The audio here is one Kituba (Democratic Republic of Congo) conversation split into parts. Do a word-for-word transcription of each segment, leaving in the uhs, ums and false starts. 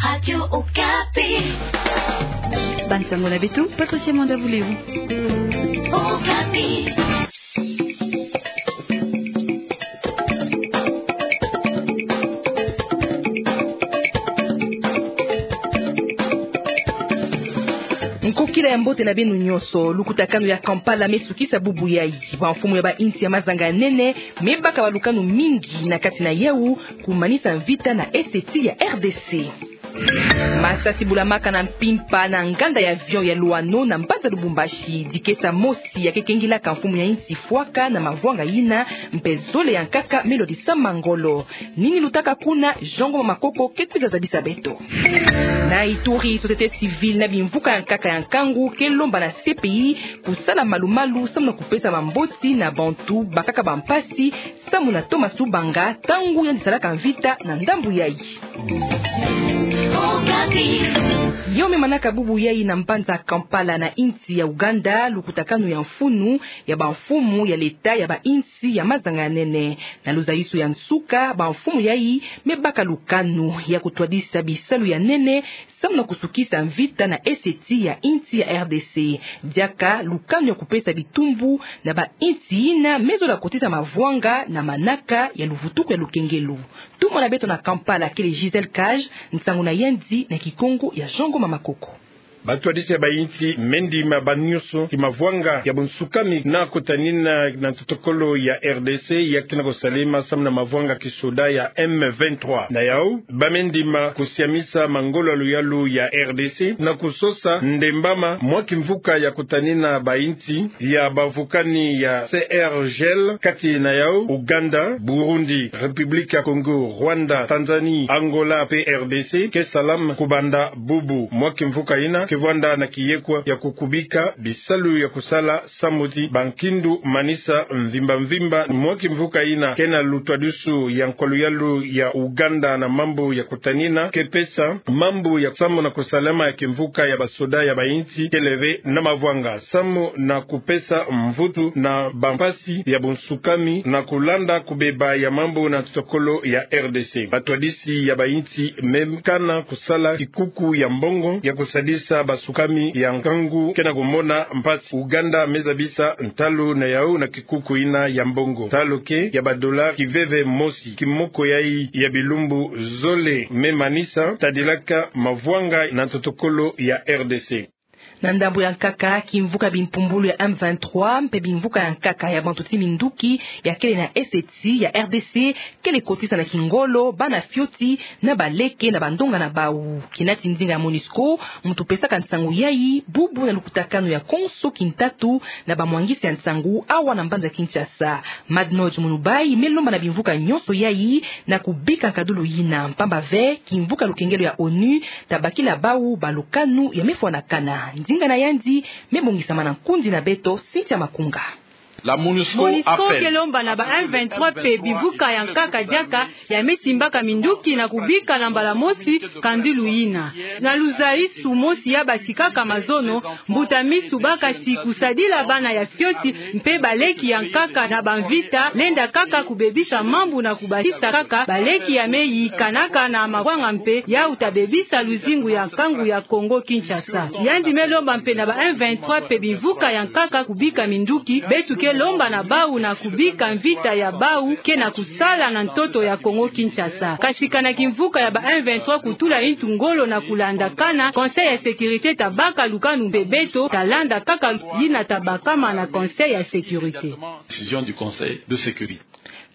Radio Okapi. Bansango na beto, Patricia Mwanda Vuleu. Okapi. Nkokila ya mbote na beno nyonso. Lukutakanu ya Kampala me sukisa bubu yai. Bamfumu ya bainsi ya mazanga ya nene me baka balukanu mingi, na kati na yau kumanisa mvita na esti ya R D C. Masasi bulamaka na mpimpa na nganda ya avion ya Luano na mbanza Lubumbashi. Dikesa mosi ya ke kengilaka mfumu ya insi fwaka na mavwanga yina, mpe zole ya nkaka me lodisa mangolo. Nini lutaka kuna? Jean Ngoma Makoko ke twiza zabisa beto. Na Ituri, société civile na bimvuka ya nkaka ya nkangu ke lomba na C P I kusala malu-malu samu na kupesa mamboti na bantu bakaka bampasi, samu na Thomas Tubanga, ntangu yandi salaka mvita na ndambu yai. Okapi. Yo me manaka bubu yai na mbanza Kampala na insi ya Uganda, lukutakanu ya mfunu ya bamfumu ya leta ya bainsi ya mazanga ya nene. Na luzaisu ya nsuka, bamfumu yai me baka lukanu ya kutwadisa bisalu ya nene samu na kusukisa mvita na esti ya insi ya R D C. Diaka lukanu ya kupesa bitumbu na bainsi yina me zola kotisa mavwanga na manaka ya luvutuku ya lukengelo. Ntumwa na beto na Kampala kele Gisèle Cage, nsangu na yandi na Kikongo ya Jean Ngoma Makoko. Batwadisi ya bainsi me ndima ba nyonso ti mavwanga ya bunsukami na kutanina na ntotokolo ya R D C ya ke na kusalema samu na mavwanga kisoda ya M vingt-trois. Na yau, ba me ndima kusiamisa mangolo ya luyalu ya R D C na kusosa ndembama mwa kimvuka ya kutanina bainsi ya bavukani ya C R G L, kati na yau Uganda, Burundi, République ya Congo, Rwanda, Tanzanie, Angola mpe R D C, ke salama kubanda bubu. Mwa kimvuka yina ke vwanda na kiyekwa ya kukubika bisalu ya kusala samu ti bankindu manisa mvimba-mvimba. Mwa kimvuka yina ke na lutwadusu ya nkwa luyalu ya Uganda na mambu ya kutanina ke pesa mambu ya samu na kusalama ya kimvuka ya basoda ya bainsi kele ve na mavwanga, samu na kupesa mvutu na bampasi ya bunsukami na kulanda kubeba ya mambu na ntotokolo ya R D C. Batwadisi ya bainsi me kana kusala kikuku ya mbongo ya kusadisa basukami ya nkangu ke na kumona mpasi. Uganda me zabisa ntalu na yau na kikuku yina ya mbongo. Ntalu ke ya ba dollars kiveve mosi. Kimoko yai ya bilumbu zole me manisa tadilaka mavwanga na ntotokolo ya R D C. Na ndambu ya nkaka, kimvuka bimpumbulu ya M vingt-trois mpe bimvuka ya nkaka ya bantu ti minduki ya kele na esti ya R D C kele kotisa na kingolo bana fioti na baleke na bandonga na bau. Kina ti ndinga ya MONUSCO, muntu pesaka nsangu yai bubu na lukutakanu ya konso kintatu na bamwangisi ya nsangu awa na mbanza Kinshasa. Madnodj Munubai me lomba na bimvuka nyonso yai na kubika nkadulu yina, mpamba ve kimvuka lukengelo ya ONU tabakila bau balukanu ya me fwanakana. Ndinga na yandi me bongisama na nkundi na beto, Cynthia Makunga. La MONUSCO ke lomba na ba M vingt-trois mpe bimvuka ya nkaka diaka ya me simbaka minduki na kubika na mbala mosi nkadulu yina. Na luzaisu mosi ya basikaka mazono, mbuta misu baka ti kusadila bana ya fioti mpe baleki ya nkaka na bamvita lenda kaka kubebisa mambu na kubasisa kaka baleki ya me yikanaka na mavwanga mpe yau tabebisa luzingu ya nkangu ya Congo Kinshasa. Yandi me lomba mpe na ba M vingt-trois mpe bimvuka ya nkaka kubika minduki, beto ke lomba na bau na kubika mvita ya bau ke na kusala na ntoto ya Congo Kinshasa. Kasi kana kimvuka ya ba M vingt-trois kutula yintu ngolo na kulandakana, Conseil ya Sécurité tabaka lukanu mpe beto talanda kaka yina tabakama na Conseil ya Sécurité. Décision du Conseil de Sécurité.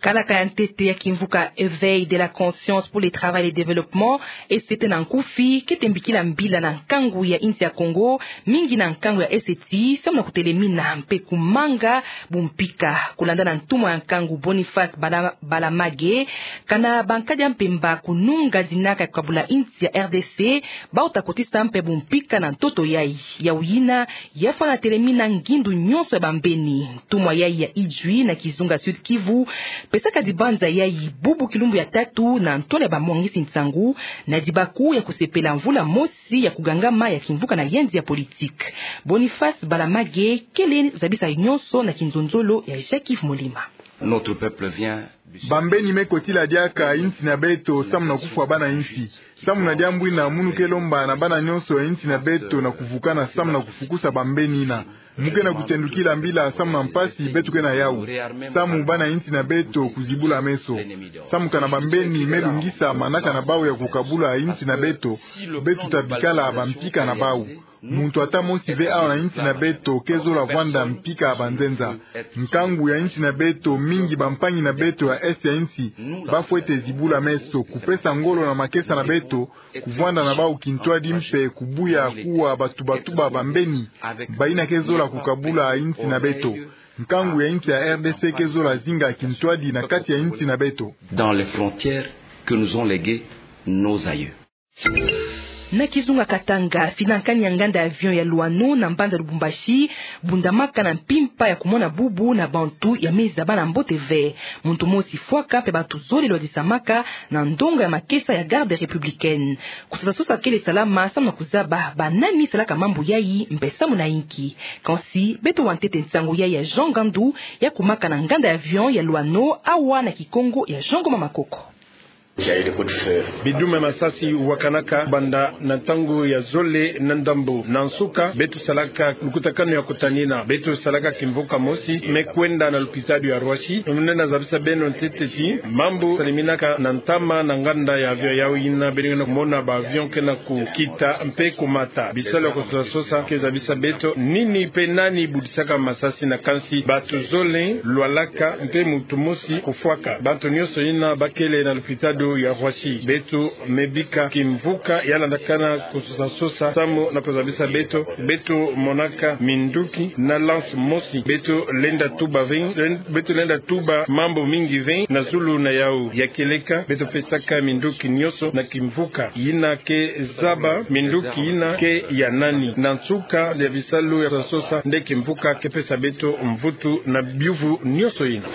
Kalaka ya ntete ya kimvuka Éveil de la conscience pour le travail et le développement, E C T na nkufi, kete mbikila mbila na nkangu ya insi ya Congo, mingi na nkangu ya E C T, samu na kutelemina mpe kumanga bumpika. Kulanda na ntumwa ya nkangu Boniface Bala-, Balamage, kana bankadi ya mpemba kununga dinaka ya kukabula insi ya R D C, bau takotisa mpe bumpika na ntoto yai. Yau yina, ya fwana telemina ngindu nyonso ya bambeni. Ntumwa yai ya Idjwi na kizunga Sud-Kivu pesaka dibanza yai bubu kilumbu ya tatu na ntwala ya bamwangisi nsangu, na dibaku ya kusepela mvula mosi ya kugangama ya kimvuka na yandi ya politique. Boniface Balamage kele zabisa nyonso na kinzonzolo ya Jacques-Yves Molima. Notre peuple vient Bambeni me kotila diaka insi na beto samu na kufwa bana insi. Samu na diambu ina munu ke lomba na bana nyonso ya insi na beto na kuvukana samu na kufukusa bambeni ina. Mu ke na kutendukila mbila samu na mpasi beto ke na yau. Samu bana insi na beto kuzibula meso. Samu kana bambeni me lungisa manaka na bau ya kukabula insi na beto, beto ta bikala bampika na bau. Muntu ata mosi ve awa na insi na beto ke zola vwanda mpika banzenza. Nkangu ya insi na beto, mingi bampangi na beto ya est ya insi, ba fwete zibula meso, kupesa ngolo na makesa na beto, kuvwanda na bau kintwadi mpe kubuya kuwa batubatuba bambeni, bayina ke zola kukabula insi na beto. Nkangu ya insi ya R D C ke zola zinga kintwadi na kati ya insi na beto. Dans les frontières que nous ont léguées nos aïeux. Na kizunga Katanga, finankani ya nganda ya avion ya Luano na mbanza Lubumbashi bundamaka na mpimpa ya kumona bubu na bantu ya me zaba na mbote ve. Muntu mosi fwaka mpe bantu zole lwadisamaka na ndonga ya makesa ya Garde Républicaine. Kusosasosa kele salama samu na kuzaba banani salaka mambu yayi mpe samu na inki. Kansi beto wa ntete nsangu yayi ya Jean Gandu ya kumaka na nganda ya avion ya Luano awa na Kikongo ya Jean Ngoma Makoko. Biduma masasi wakanaka banda na ntangu ya zole na ndambu. Na nsuka, beto salaka lukutakanu ya kutanina. Beto salaka kimvuka mosi me kwenda na lupitalu ya Roissy. Muna na zabisa beno ntete ti mambu saliminaka na ntama na nganda ya avion yau yina beno ke na kumona ba avion ke na kukita mpe kumata. Bisalu ya kusosasosa ke zabisa beto nini mpe nani budisaka masasi na kansi. Bantu zole lwalaka mpe muntu mosi kufwaka. Bantu nyonso yina bakele na lupitalu ya Roissy. Beto me bika kimvuka ya landakana kusosasosa samu na kuzabisa beto. Beto monaka minduki na lance mosi. Beto lenda tuba ve, len-, beto lenda tuba mambu mingi ve na zulu na yau. Ya kieleka, beto pesaka minduki nyonso na kimvuka yina ke zaba minduki yina ke ya nani. Na nsuka ya bisalu ya kusosasosa nde kimvuka ke pesa beto mvutu na biuvu nyonso yina.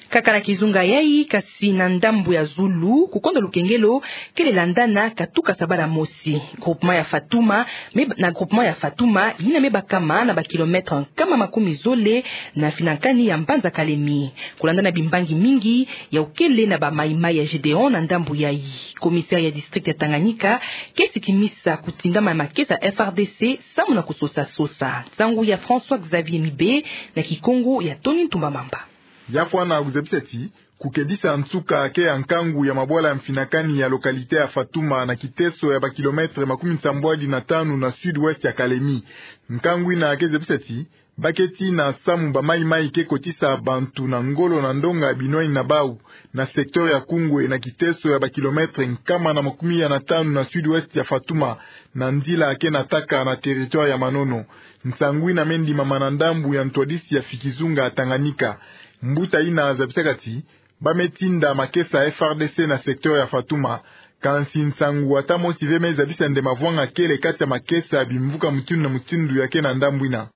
Kaka na kizunga yayi, kasi na ndambu ya zulu, kukonda lukengelo kele landana katuka sabala mosi. Groupement ya Fatuma, me, na groupement ya Fatuma, yina me bakama na ba kilomètre nkama makumi zole na finankani ya mbanza Kalemi. Kulanda na bimbangi mingi ya ukele na ba maimai ya Gédéon na ndambu yayi. Commissaire ya district ya Tanganyika ke sikimisa kutindama ya makesa F R D C samu na kusosasosa. Nsangu ya François Xavier Mibe na Kikongo ya Tony Ntumba Mamba. Ya fwana kuzabisa ti, kukedisa nsuka ke ya nkangu ya mabwala ya mfinakani ya localité ya Fatuma na kiteso ya ba kilomètre makumi nsambwadi na tanu na sud-ouest ya Kalemi. Nkangu yina ke zabisa ti, ba ke tina samu ba maimai ke kotisa bantu na ngolo na ndonga binwani na bau, na secteur ya Kungwe na kiteso ya ba kilomètre nkama na makumi ya na tanu na sud-ouest ya Fatuma, na nzila ke nataka na territoire ya Manono. Nsangu yina me ndimama na ndambu ya ntwadisi ya fikizunga Tanganyika. Mbuta yina zabisaka ti, ba me tinda makesa F R D C na secteur ya Fatuma. Kansi nsangu ata mosi ve me zabisa nde mavwanga kele kati ya makesa bimvuka mutindu na mutindu ya ke na ndambu yina.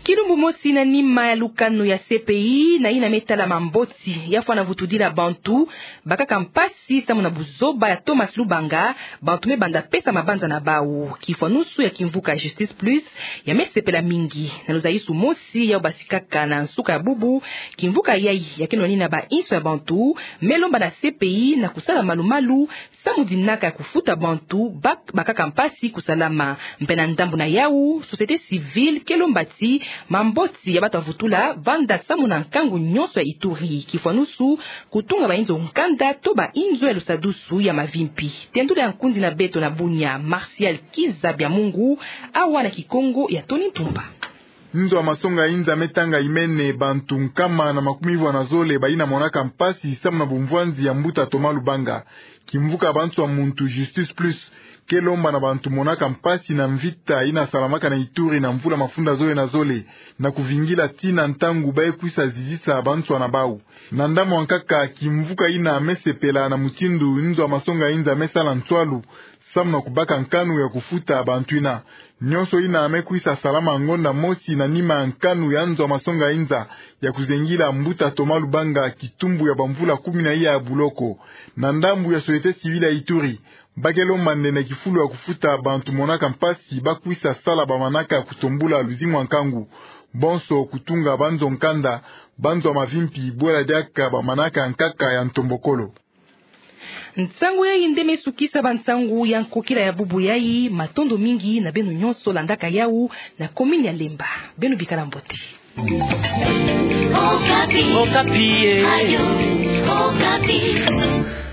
Kilumbu mosi na nima ya lukanu ya C P I na yina me tala mamboti ya fwana vutudila bantu bakaka mpasi samu na buzoba ya Thomas Lubanga, bantu me banda pesa mabanza na bau. Kifwanusu ya kimvuka Justice Plus ya me sepela mingi. Na luzayisu mosi ya basikaka na nsuka ya bubu, kimvuka yayi ya ke nwanina ba inso ya bantu, me lomba na C P I na kusala malu-malu samu dinaka ya kufuta bantu bak-, bakaka mpasi kusalama. Mpe na ndambu na yau, société civile ke lomba ti mamboti ya bato ya vutula banda samu na nkangu nyonso ya Ituri. Kifwanusu, kutunga ba inzo nkanda to ba inzo ya lusadusu ya mavimpi. Tendula ya nkundi na beto na Bunia, Martial Kiza Biamungu, awa na Kikongo ya Tony Ntumba. Nzo ya masonga inza me tanga imene bantu nkama na makumi vwa na zole bayina monaka mpasi samu na bumvwanzi ya mbuta Thomas Lubanga. Kimvuka banso ya muntu Justice Plus ke lomba na bantu monaka mpasi na mvita yina salamaka na Ituri na mvula mafunda zole na zole, na kuvingila tii na ntangu ba ye kwisa zizisa banswa na bau. Na ndambu ya nkaka, kimvuka yina me sepela na mutindu nzo ya masonga inza me sala nswalu samu na kubaka nkanu ya kufuta bantu yina. Nyonso yina me kwisa salama ngonda mosi na nima ya nkanu ya nzo ya masonga inza ya kuzengila mbuta Thomas Lubanga kitumbu ya bamvula kumi na iya ya buloko. Na ndambu ya société civile ya Ituri, ba ke lomba nde na kifulu ya kufuta bantu monaka mpasi ba kwisa sala bamanaka ya kutombula luzingu ya nkangu. bonso kutunga banzo nkanda, banzo mavimpi, bwela diaka bamanaka nkaka ya ntombokolo. Nsangu yayi nde me sukisa bansangu ya nkokila ya bubu yayi. Matondo mingi na beno nyonso landaka yawu na commune ya Lemba. Beno bikala mbote. Okapi. Okapi, eh. Radio Okapi.